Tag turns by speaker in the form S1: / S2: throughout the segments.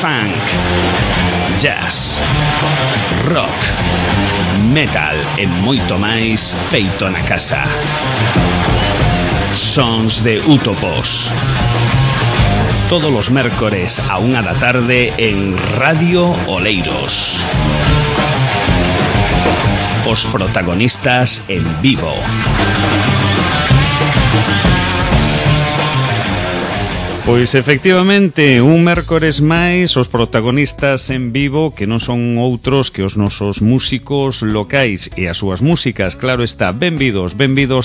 S1: funk, jazz, rock, metal e moito máis feito na casa. Sons de Útopos. Todos os mércores a 1 da tarde en Radio Oleiros. Os protagonistas en vivo. Pois efectivamente, un mércores máis os protagonistas en vivo que non son outros que os nosos músicos locais e as súas músicas, claro está. Benvidos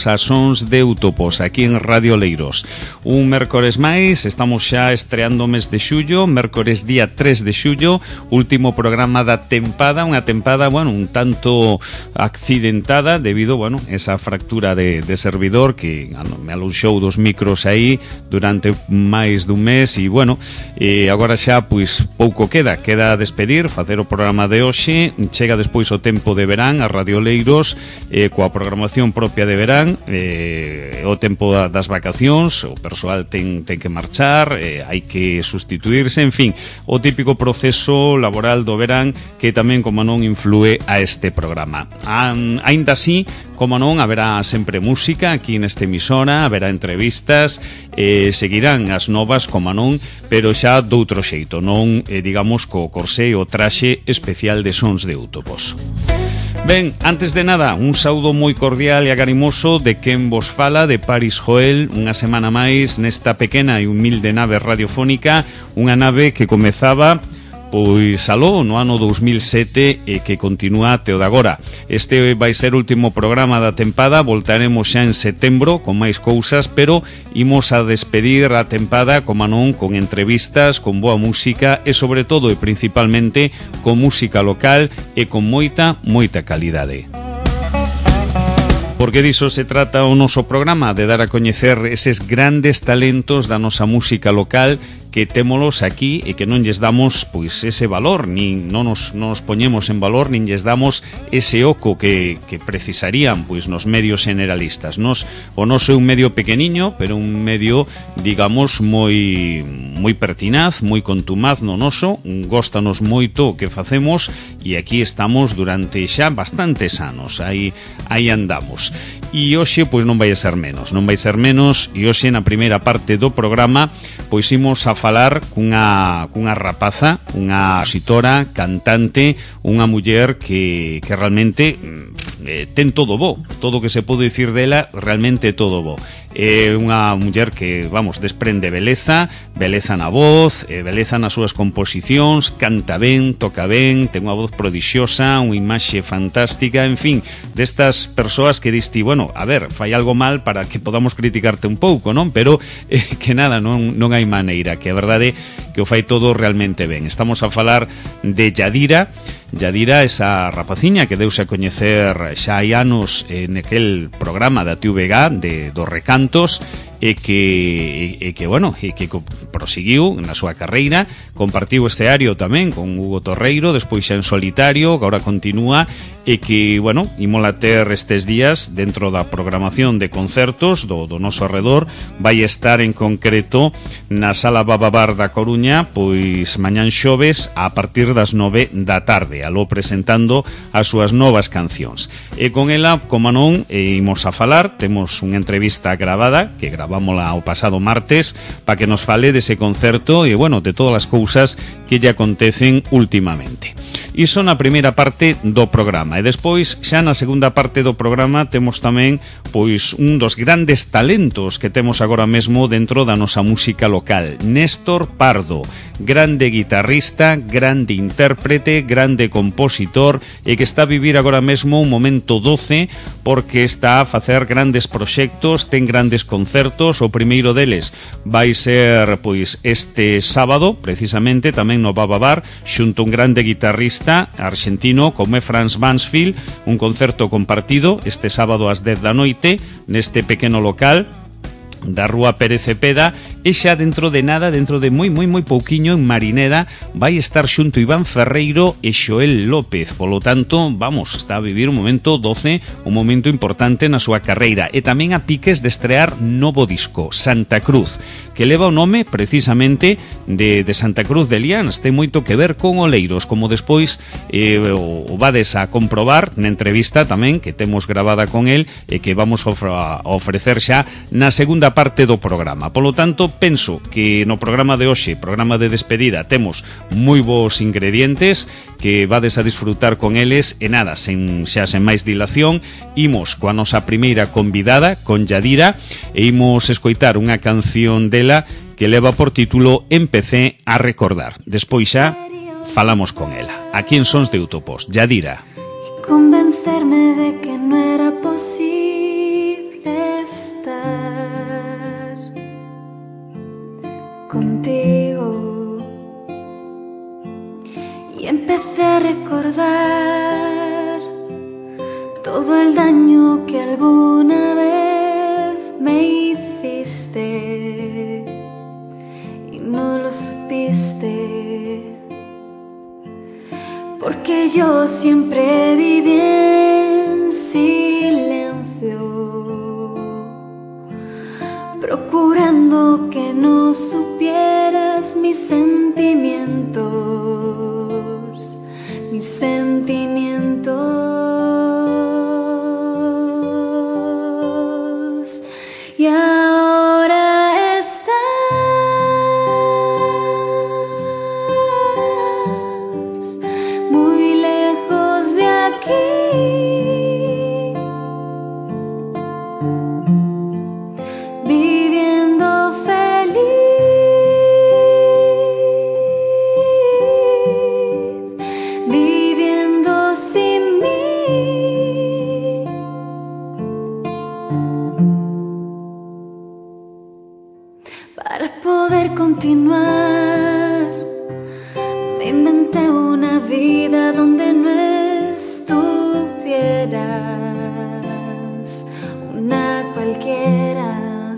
S1: a Sons de Útopos aquí en Radio Oleiros. Un mércores máis, estamos xa estreando o mes de xullo, mércores día 3 de xullo, último programa da tempada, unha tempada, bueno, un tanto accidentada debido, bueno, esa fractura de servidor que me aluxou dos micros aí durante máis dun mes e, bueno, agora xa, pois, pouco queda despedir, facer o programa de hoxe. Chega despois o tempo de verán a Radio Oleiros, coa programación propia de verán, o tempo das vacacións, o persoal ten que marchar, hai que sustituirse, en fin, o típico proceso laboral do verán que tamén, como non, influe a este programa. Aínda así, como non, haberá sempre música aquí nesta emisora, haberá entrevistas, seguirán as novas, como non, pero xa doutro xeito, non, digamos, co corsé o traxe especial de Sons de Útopos. Ben, antes de nada, un saúdo moi cordial e agarimoso de quen vos fala, de Paris Joel, unha semana máis nesta pequena e humilde nave radiofónica, unha nave que comezaba pois aló no ano 2007 e que continúa até o de agora. Este vai ser o último programa da tempada, voltaremos xa en setembro con máis cousas, pero imos a despedir a tempada, como non, con entrevistas, con boa música e sobre todo e principalmente con música local e con moita calidade. Porque diso se trata o noso programa, de dar a coñecer eses grandes talentos da nosa música local que témolos aquí e que non lles damos, pois, ese valor, nin non nos poñemos en valor, nin lles damos ese oco que precisarían, pois, nos medios generalistas. O noso é un medio pequeniño, pero un medio, digamos, moi pertinaz, moi contumaz no noso, góstanos moito o que facemos e aquí estamos durante xa bastantes anos, aí andamos. E hoxe, pois, non vai ser menos, e hoxe na primeira parte do programa, pois, imos a falar cunha rapaza, unha compositora, cantante, unha muller que realmente ten todo bo, todo o que se pode dicir dela, realmente todo bo. É unha muller que, vamos, desprende beleza na voz, beleza nas súas composicións, canta ben, toca ben, ten unha voz prodixiosa, unha imaxe fantástica, en fin, destas persoas que diste, bueno, a ver, fai algo mal para que podamos criticarte un pouco, non? Pero que nada, non hai maneira, que a verdade que o fai todo realmente ben. Estamos a falar de Yadira, esa rapaciña que deuse a coñecer xa hai anos en aquel programa da TVG dos recantos e que prosiguiu na súa carreira, compartiu escenario tamén con Hugo Torreiro, despois xa en solitario, que agora continúa, e que, bueno, imola ter estes días dentro da programación de concertos do noso arredor. Vai estar en concreto na Sala Bababar da Coruña, pois mañán xoves a partir das 9 da tarde, aló presentando as súas novas cancións. E con ela, como non, imos a falar, temos unha entrevista gravada que gravámola o pasado martes para que nos fale dese concerto e, bueno, de todas as cousas que lle acontecen últimamente. Iso na primeira parte do programa. E despois, xa na segunda parte do programa, temos tamén, pois, un dos grandes talentos que temos agora mesmo dentro da nosa música local, Néstor Pardo, grande guitarrista, grande intérprete, grande compositor e que está a vivir agora mesmo un momento doce porque está a facer grandes proxectos, ten grandes concertos. O primeiro deles vai ser, pois, este sábado, precisamente, tamén no Bababar, xunto un grande guitarrista argentino como é Franz Mansfield, un concerto compartido este sábado ás 10 da noite neste pequeno local da Rúa Pérez Cepeda E xa dentro de nada, dentro de moi pouquiño, en Marineda vai estar xunto Iván Ferreiro e Xoel López. Polo tanto, vamos, está a vivir un momento doce, un momento importante na súa carreira. E tamén a piques de estrear novo disco, Santa Cruz, que leva o nome precisamente de Santa Cruz de Lians. Ten moito que ver con Oleiros, como despois o vades a comprobar na entrevista tamén que temos gravada con el e que vamos a ofrecer xa na segunda parte do programa. Polo tanto, penso que no programa de hoxe, programa de despedida, temos moi bons ingredientes que vades a disfrutar con eles e nada, sen máis dilación, imos coa nosa primeira convidada, con Yadira, e imos escoitar unha canción dela que leva por título Empecé a recordar. Despois xa falamos con ela. Aquí en Sons de Utopos, Yadira.
S2: Convencerme de que no era posible estar contigo, y empecé a recordar todo el daño que alguna vez me hiciste y no lo supiste, porque yo siempre viví en silencio, procurando que no supieras mis sentimientos, mis sentimientos. Y ahora estás muy lejos de aquí, viviendo feliz, viviendo sin mí. Para poder continuar, me inventé una vida donde no estuvieras, una cualquiera.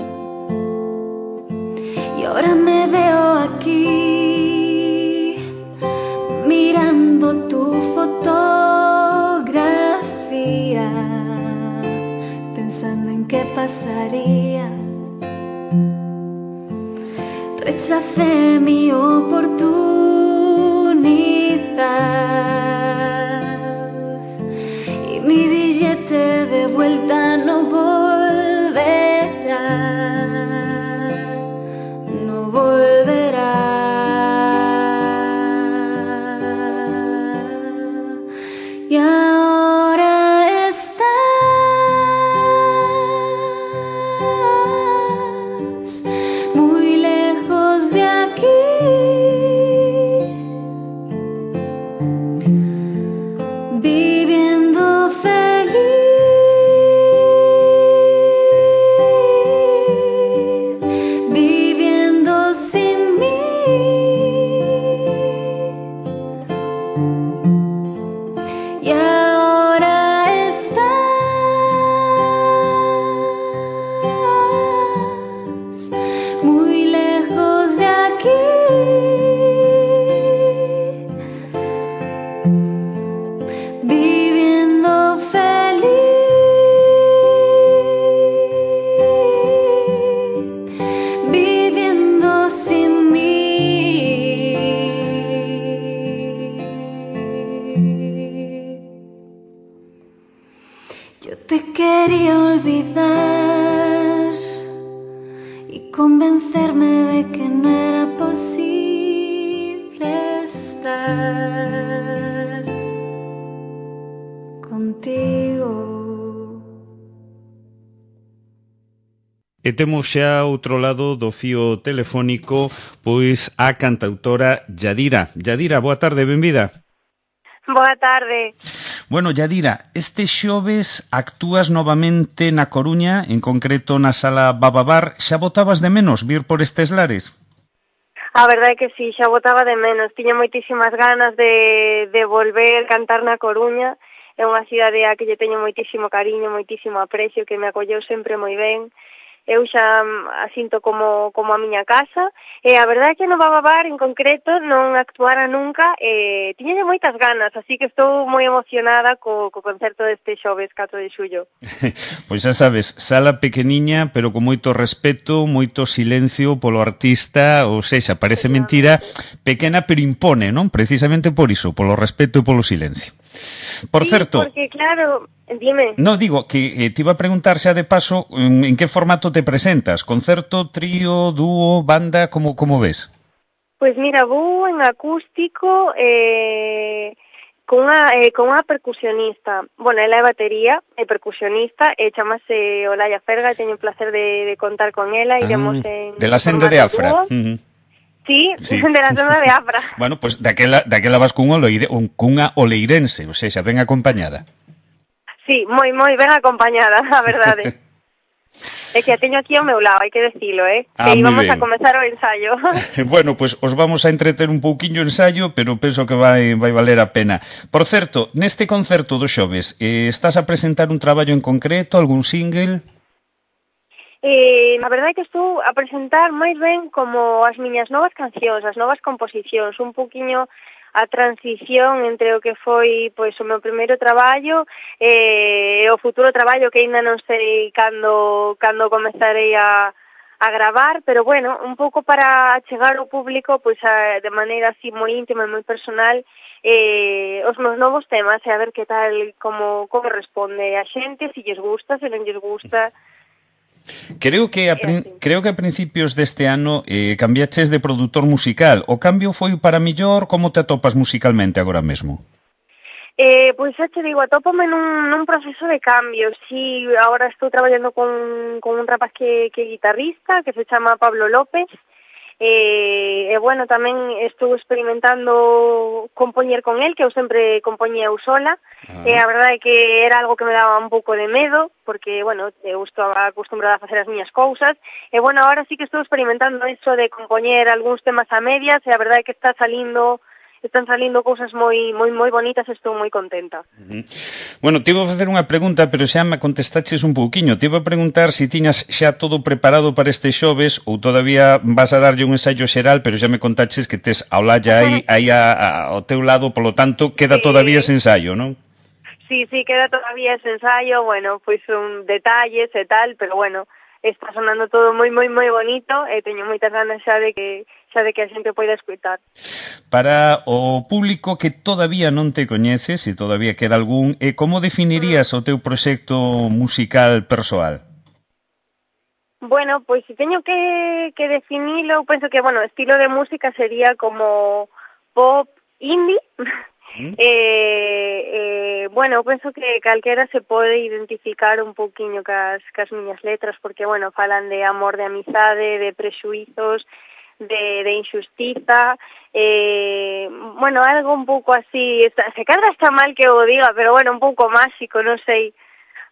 S2: Y ahora me veo aquí, mirando tu fotografía, pensando en qué pasaría. Rechacé mi oportunidad y mi billete de vuelta no volverá, no volverá. Y ahora estás muy lejos de aquí, viviendo feliz, viviendo sin mí. Y ahora estás muy lejos de aquí, viviendo feliz, viviendo sin mí. Yo te quería olvidar y convencerme de que no era posible estar contigo.
S1: E temos xa outro lado do fío telefónico pois a cantautora Yadira. Yadira, boa tarde, benvida.
S3: Boa tarde.
S1: Bueno, Yadira, este xoves actúas novamente na Coruña, en concreto na Sala Bababar. Xa botabas de menos vir por estes lares?
S3: A verdade é que sí, xa botaba de menos. Tiña moitísimas ganas de volver cantar na Coruña. É unha cidade a que lle teño moitísimo cariño, moitísimo aprecio, que me acolleu sempre moi ben. eu xa a sinto como a miña casa, e a verdade é que no Bababar en concreto non actuara nunca, e tiña moitas ganas, así que estou moi emocionada co concerto deste xoves 4 de xullo.
S1: Pois xa sabes, sala pequeniña, pero con moito respeto, moito silencio polo artista, ou sexa, parece mentira, pequena pero impone, non? Precisamente por iso, polo respeto e polo silencio. Por
S3: Sí,
S1: certo,
S3: porque claro, dime.
S1: no, digo que te iba a preguntar xa de paso en que formato te presentas, concerto, trío, dúo, banda, como ves?
S3: Pois mira, vou en acústico con unha percusionista. Bueno, ela é batería, é percusionista, chamase Olaya Ferga, e teño o placer de contar con ela, iremos en
S1: de la senda de Afra.
S3: Sí,
S1: Sí.
S3: de la senda de Afra.
S1: Bueno, pues daquela vas cunha oleirense, ou seja, ben acompañada.
S3: Sí, moi ben acompañada, a verdade. É que a teño aquí ao meu lado, hai que decilo, que íbamos a comezar o ensayo.
S1: Bueno, pues os vamos a entreter un pouquiño o ensayo, pero penso que vai valer a pena. Por certo, neste concerto do xoves, estás a presentar un traballo en concreto, algún single?
S3: A verdade é que estou a presentar máis ben como as miñas novas cancións, as novas composicións, un pouquiño a transición entre o que foi pois o meu primeiro traballo e o futuro traballo que aínda non sei cando comezarei a gravar, pero bueno, un pouco para chegar ao público pois de maneira así moi íntima e moi personal os meus novos temas e a ver que tal, como responde a xente, se lles gusta, se non lles gusta.
S1: Creo que a principios deste ano cambiaches de produtor musical. O cambio foi para millor? Como te atopas musicalmente agora mesmo?
S3: Pois xa te digo, atópame nun proceso de cambio. Si, agora estou traballando con un rapaz que é guitarrista, que se chama Pablo López, e bueno, tamén estou experimentando compoñer con el, que eu sempre compoñía eu sola, e a verdade é que era algo que me daba un pouco de medo, porque, bueno, eu estaba acostumbrada a facer as miñas cousas, e bueno, agora sí que estou experimentando eso de compoñer algúns temas a medias, e a verdade é que están salindo cousas moi bonitas, estou moi contenta.
S1: Bueno, te iba a facer unha pregunta, pero xa me contestaches un pouquiño. Te iba a preguntar se tiñas xa todo preparado para este xoves ou todavía vas a darlle un ensayo xeral, pero xa me contaches que tes a Olaya aí ao teu lado, polo tanto, queda todavía ese ensayo, non?
S3: Sí, queda todavía ese ensayo, bueno, pois un detalles e tal, pero bueno, está sonando todo moi bonito e teño moitas ganas xa de que a xente poida escutar.
S1: Para o público que todavía non te coñeces, se todavía queda algún, como definirías o teu proxecto musical persoal?
S3: Bueno, pois se teño que definilo, penso que, bueno, estilo de música sería como pop indie. Bueno, penso que calquera se pode identificar un pouquiño cas miñas letras, porque, bueno, falan de amor, de amizade, de prexuizos, de injustiza, bueno, algo un pouco así, se cadra está mal que o diga, pero bueno, un pouco máxico, non sei,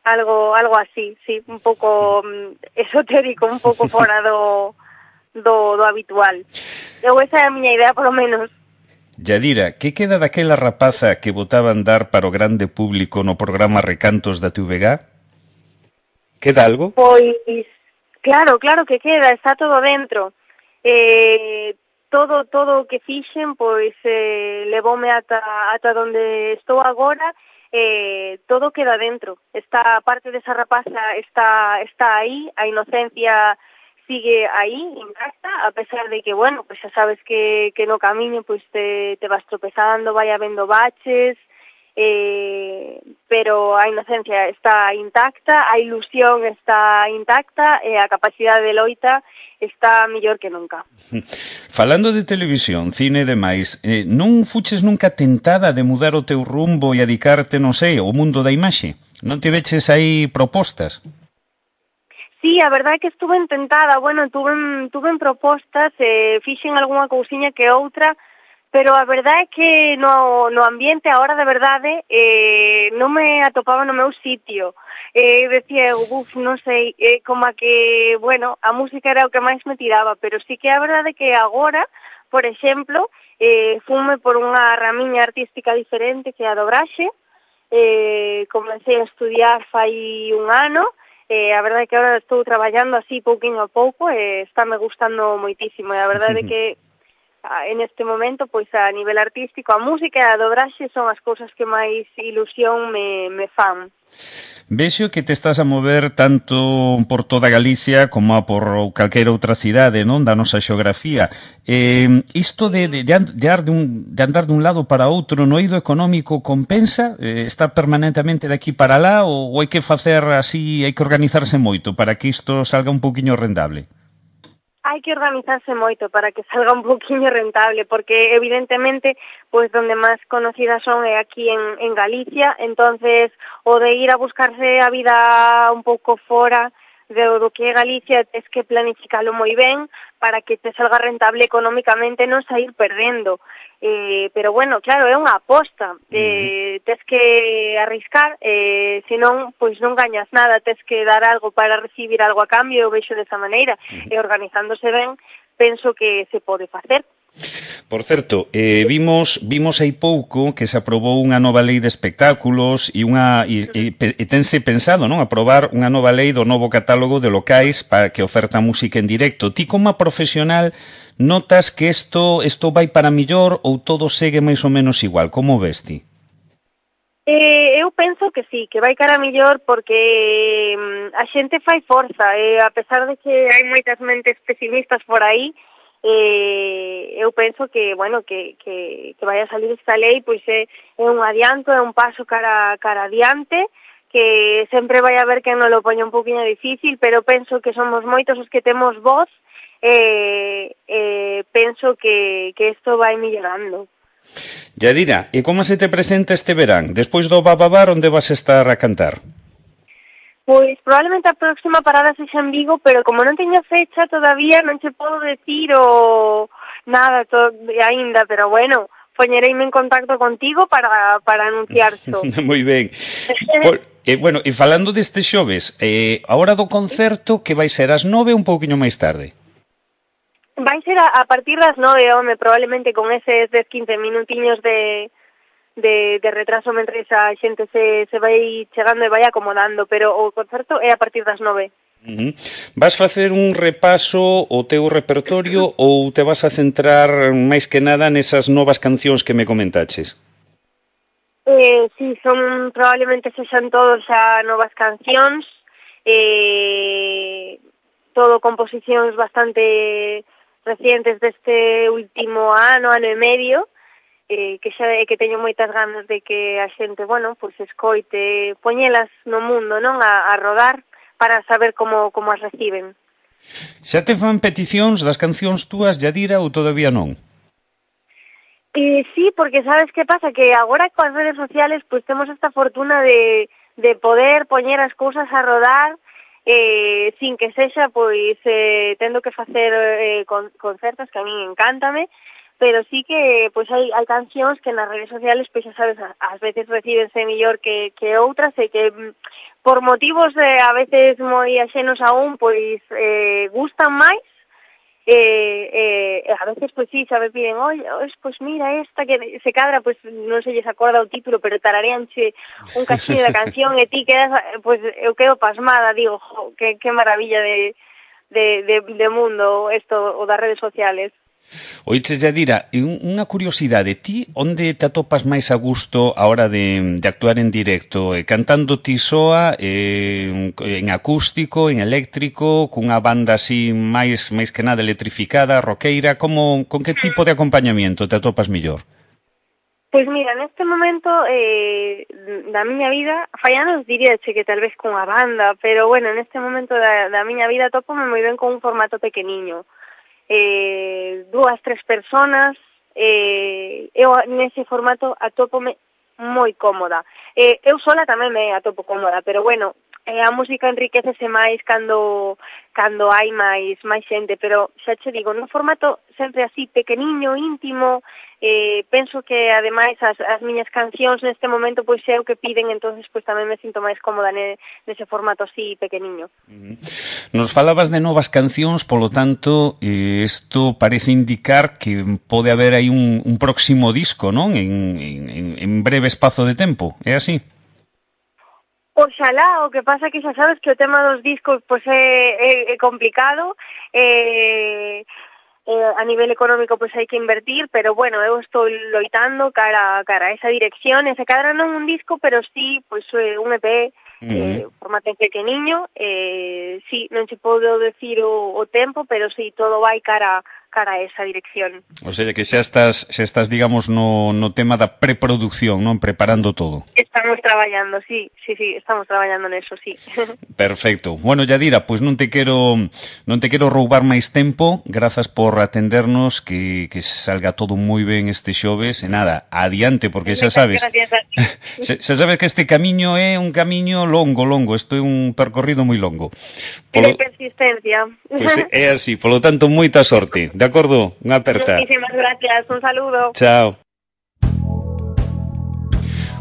S3: algo así, sí, un pouco esotérico, un pouco fora do habitual. Esa é a miña idea, polo menos.
S1: Yadira, que queda daquela rapaza que botaba a andar para o grande público no programa Recantos da TVG? Queda algo?
S3: Pois, claro que queda, está todo dentro. Todo o que fixen, pois, levoume ata donde estou agora, todo queda dentro. Esta parte desa rapaza está aí, a inocencia sigue aí, intacta, a pesar de que, bueno, pues xa sabes que no camiño pues te vas tropezando, vai habendo baches, pero a inocencia está intacta, a ilusión está intacta e a capacidade de loita está mellor que nunca.
S1: Falando de televisión, cine e demais, non fuches nunca tentada de mudar o teu rumbo e adicarte, non sei, ao mundo da imaxe? Non te veches aí propostas?
S3: Sí, a verdade é que estuve tentada, bueno, tuve propostas, fixen algunha cousiña que outra, pero a verdade é que no ambiente, a hora de verdade, non me atopaba no meu sitio. Decía, non sei, como a que, bueno, a música era o que máis me tiraba, pero sí que a verdade é que agora, por exemplo, fume por unha ramiña artística diferente que é a dobraxe, comecei a estudiar fai un ano, A verdade é que agora estou traballando así pouquinho a pouco e estáme gustando moitísimo, e a verdade é que en este momento, pois a nivel artístico, a música e a dobraxe son as cousas que máis ilusión me fan.
S1: Vexo que te estás a mover tanto por toda Galicia como a por calquera outra cidade, non, da nosa xeografía. Isto de andar dun lado para outro no eido económico compensa? Estar permanentemente de aquí para lá ou hai que facer así, hai que organizarse moito para que isto salga un pouquiño rendable?
S3: Hai que organizarse moito para que salga un poquinho rentable, porque evidentemente, pois donde máis conocidas son é aquí en Galicia, entonces o de ir a buscarse a vida un pouco fora do que é Galicia, tes que planificalo moi ben para que te salga rentable económicamente, non sair perdendo. Pero bueno, claro, é unha aposta, tes que arriscar, senón, pois non gañas nada, tes que dar algo para recibir algo a cambio, eu vexo desa maneira, e organizándose ben, penso que se pode facer.
S1: Por certo, vimos hai pouco que se aprobou unha nova lei de espectáculos e tense pensado, non, aprobar unha nova lei do novo catálogo de locais para que oferta música en directo. Ti como profesional notas que isto vai para millor ou todo segue máis ou menos igual? Como ves ti?
S3: Eu penso que sí, que vai cara millor porque a xente fai forza, a pesar de que hai moitas mentes pesimistas por aí, eu penso que, bueno, que vai a salir esta lei, pois é un adianto, é un paso cara adiante, que sempre vai haber quen non lo poña un poquinho difícil, pero penso que somos moitos os que temos voz, penso que isto vai millorando.
S1: Yadira, e como se te presenta este verán? Despois do Bababar, onde vas estar a cantar?
S3: Pois probablemente a próxima parada sexa en Vigo, pero como non teño fecha todavía non che podo decir nada aínda, pero bueno, poñereime en contacto contigo para anunciarlo.
S1: Moi ben. Bueno, e falando deste xoves, a hora do concerto que vai ser ás 9 ou un pouquiño máis tarde?
S3: Vai ser a partir das 9, home, probablemente con eses 10-15 minutiños de retraso mentre a xente se vai chegando e vai acomodando, pero o concerto é a partir das 9.
S1: Vas facer un repaso ao teu repertorio ou te vas a centrar máis que nada nesas novas cancións que me comentaches?
S3: Sí, son probablemente sexan todos xa novas cancións, todo composicións bastante recientes deste último ano e medio, que teño moitas ganas de que a xente, bueno, pois escoite, poñelas no mundo, non, a rodar para saber como as reciben.
S1: Xa te fan peticións das cancións túas, Yadira, ou todavía non?
S3: Sí, porque sabes que pasa, que agora coas redes sociales pois temos esta fortuna de poder poñer as cousas a rodar sin que sexa pois tendo que facer concertos, que a min encántame, pero sí que pois hai cancións que nas redes sociales, pois xa sabes, ás veces recíbense mellor que outras e que por motivos a veces moi axenos a un, pois gustan máis, a veces pois sí, xa me piden, oi, pois mira esta que se cadra, pois non se lles acorda o título, pero tarareanche un cachiño da canción e ti quedas, pois eu quedo pasmada, digo, jo, que maravilla de mundo isto, o das redes sociales.
S1: Oiche, Yadira, unha curiosidade, ti onde te atopas máis a gusto a hora de actuar en directo? Cantando ti soa, en acústico, en eléctrico, cunha banda así máis que nada electrificada, roqueira, con que tipo de acompañamiento te atopas mellor?
S3: Pois mira, neste momento da miña vida, fai anos diríache que tal vez cunha banda, pero bueno, neste momento da miña vida atopome moi ben con un formato pequeniño. 2-3 personas, eu nese formato atópome moi cómoda. Eu sola tamén me atopo cómoda, pero bueno, a música enriquecese máis cando hai máis xente, pero xa che digo, nun formato sempre así pequeniño, íntimo, penso que ademais as miñas cancións neste momento pois é o que piden, entonces pois tamén me sinto máis cómoda nese formato así pequeniño.
S1: Nos falabas de novas cancións, polo tanto, isto parece indicar que pode haber aí un próximo disco, non? En breve espazo de tempo, é así?
S3: Oxalá, o que pasa que xa sabes que o tema dos discos pois é complicado, a nivel económico pois hai que invertir, pero bueno, eu estou loitando cara a esa dirección, e se cadra non un disco, pero sí pois un EP, formato pequeniño, sí, non che podo decir o tempo, pero sí, todo vai cara a esa dirección.
S1: O sea, que xa estás digamos, no tema da preproducción, non? Preparando todo.
S3: Estamos traballando, sí, estamos traballando neso, sí.
S1: Perfecto. Bueno, Yadira, pois non te quero roubar máis tempo. Grazas por atendernos, que salga todo moi ben este xoves. E nada, adiante, porque xa sabes. Xa sabes que este camiño é un camiño longo. Isto é un percorrido moi longo.
S3: De persistencia.
S1: Pois é así, polo tanto, moita sorte. De acordo? Unha aperta.
S3: Muchísimas gracias, un saludo.
S1: Chao.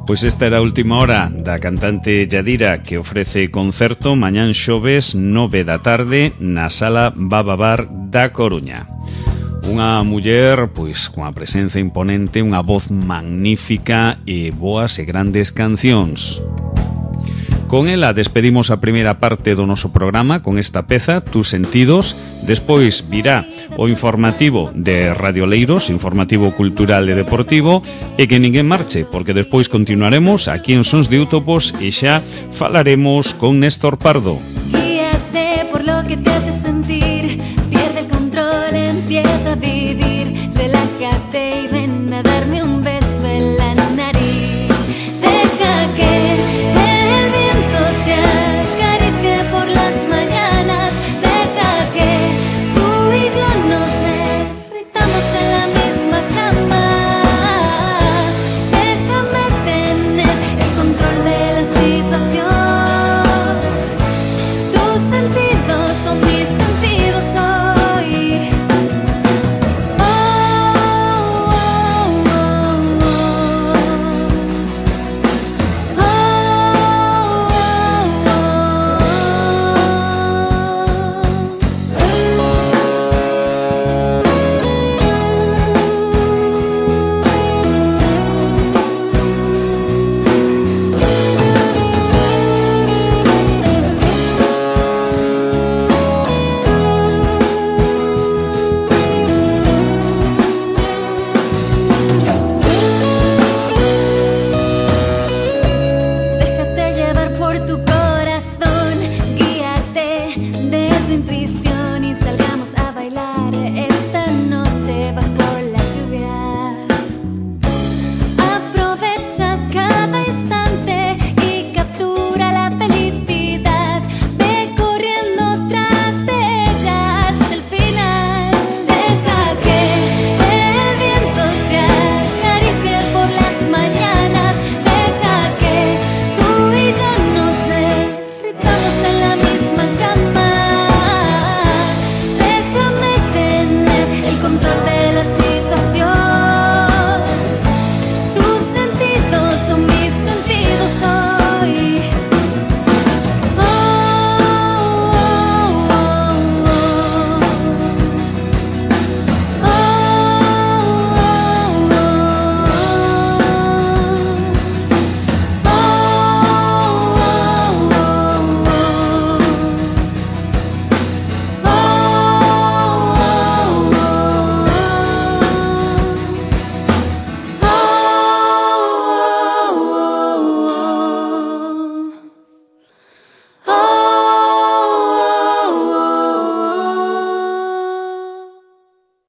S1: Pois esta era a última hora da cantante Yadira, que ofrece concerto mañán xoves 9 da tarde na Sala Bababar da Coruña. Unha muller, pois, cunha presenza imponente, unha voz magnífica e boas e grandes cancións. Con ela despedimos a primeira parte do noso programa con esta peza, Tus sentidos. Despois virá o informativo de Radio Leiros, informativo cultural e deportivo, e que ninguén marche, porque despois continuaremos aquí en Sons de Útopos e xa falaremos con Néstor Pardo.